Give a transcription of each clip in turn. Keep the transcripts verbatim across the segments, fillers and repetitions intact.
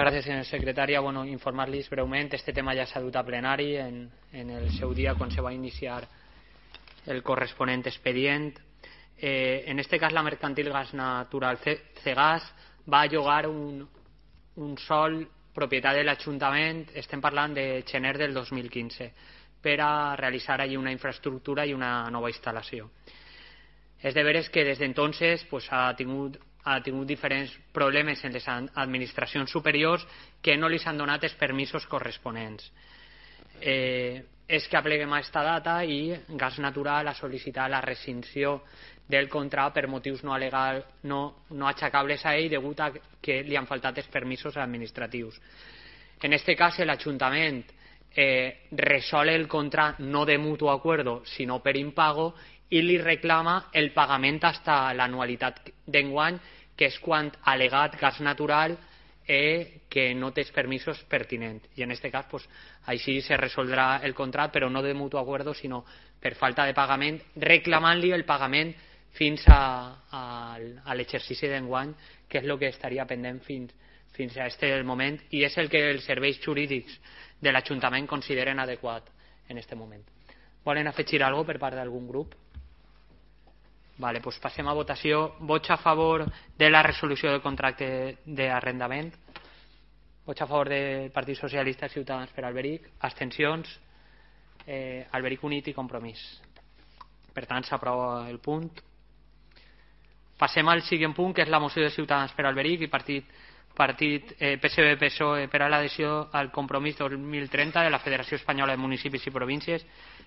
Gràcies, senyora secretària. Bueno, informar-los breument, este tema ja s'ha dut a plenari en, en el seu dia quan se va iniciar el corresponent expedient. Eh, en este cas, la mercantil Gas Natural Cegas va llogar un, un sol propietat de l'Ajuntament, estem parlant de gener del dos mil quinze, per a realitzar allí una infraestructura i una nova instal·lació. És de veres que des d'entonces pues, ha tingut ha tingut diferents problemes en les administracions superiors que no li han donat els permisos corresponents. Eh, és que apleguem a aquesta data i Gas Natural ha sol·licitat la rescissió del contracte per motius no, alegal, no, no aixecables a ell degut a que li han faltat els permisos administratius. En aquest cas, l'Ajuntament eh, resol el contracte no de mutuo acuerdo, sinó per impago, i li reclama el pagament fins a l'anualitat d'enguany, que és quan ha al·legat Gas Natural eh, que no té els permisos pertinents. I en aquest cas, pues, així se resoldrà el contracte, però no de mutuo acuerdo, sinó per falta de pagament, reclamant-li el pagament fins a, a, a l'exercici d'enguany, que és el que estaria pendent fins, fins a aquest moment, i és el que els serveis jurídics de l'Ajuntament consideren adequat en aquest moment. Volen afegir alguna cosa per part d'algun grup? Vale, pues passem a votació. Vots a favor de la resolució del contracte d'arrendament? Vots a favor del Partit Socialista i Ciutadans per Alberic? Abstencions? Eh, Alberic Unit i Compromís. Per tant, s'aprova el punt. Passem al següent punt, que és la moció de Ciutadans per Alberic i Partit, partit eh, P S B-P S O E per a l'adhesió al Compromís dos mil trenta de la Federació Espanyola de Municipis i Províncies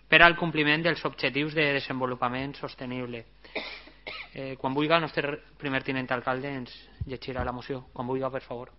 per al compliment dels objectius de desenvolupament sostenible. Eh, quan vulgui el nostre primer tinent alcalde ens llegirà la moció. Quan vulgui, per favor.